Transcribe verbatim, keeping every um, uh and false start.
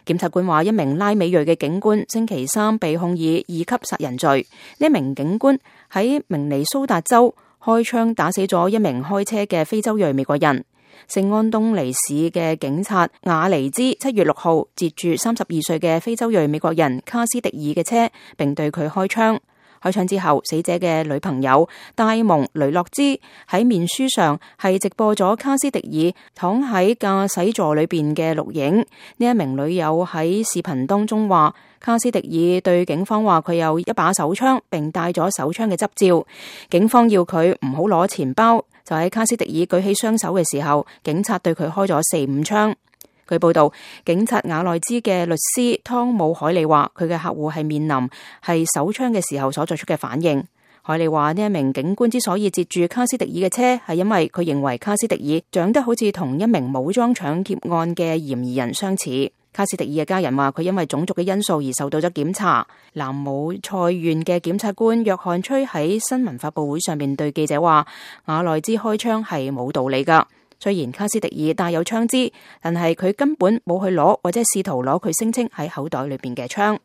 檢察官話，一名拉美裔嘅警官星期三被控以二級殺人罪。呢一名警官喺明尼蘇達州開槍打死咗一名開車嘅非洲裔美國人。聖安東尼市嘅警察瓦尼茲七月六號截住三十二歲嘅非洲裔美國人卡斯迪爾嘅車，並對佢開槍。開槍之後，死者嘅女朋友戴蒙雷諾茲喺面書上係直播咗卡斯迪爾躺喺駕駛座裏邊嘅錄影。呢一名女友喺視頻當中話，卡斯迪爾對警方話佢有一把手槍，並帶咗手槍嘅執照。警方要佢唔好攞錢包，就喺卡斯迪爾舉起雙手嘅時候，警察對佢開咗四五槍。據報道，警察瓦內茲嘅律師湯姆海利話，佢嘅客戶係面臨係手槍嘅時候所作出嘅反應。海利話，呢一名警官之所以截住卡斯迪爾嘅車，係因為佢認為卡斯迪爾長得好似同一名武裝搶劫案嘅嫌疑人相似。卡斯迪爾嘅家人話，佢因為種族嘅因素而受到咗檢查。南姆塞縣嘅檢察官約翰崔喺新聞發佈會上面對記者話，瓦內茲開槍係冇道理噶。雖然卡斯迪爾帶有槍支，但係佢根本冇去攞或者試圖攞佢聲稱喺口袋裏邊嘅槍。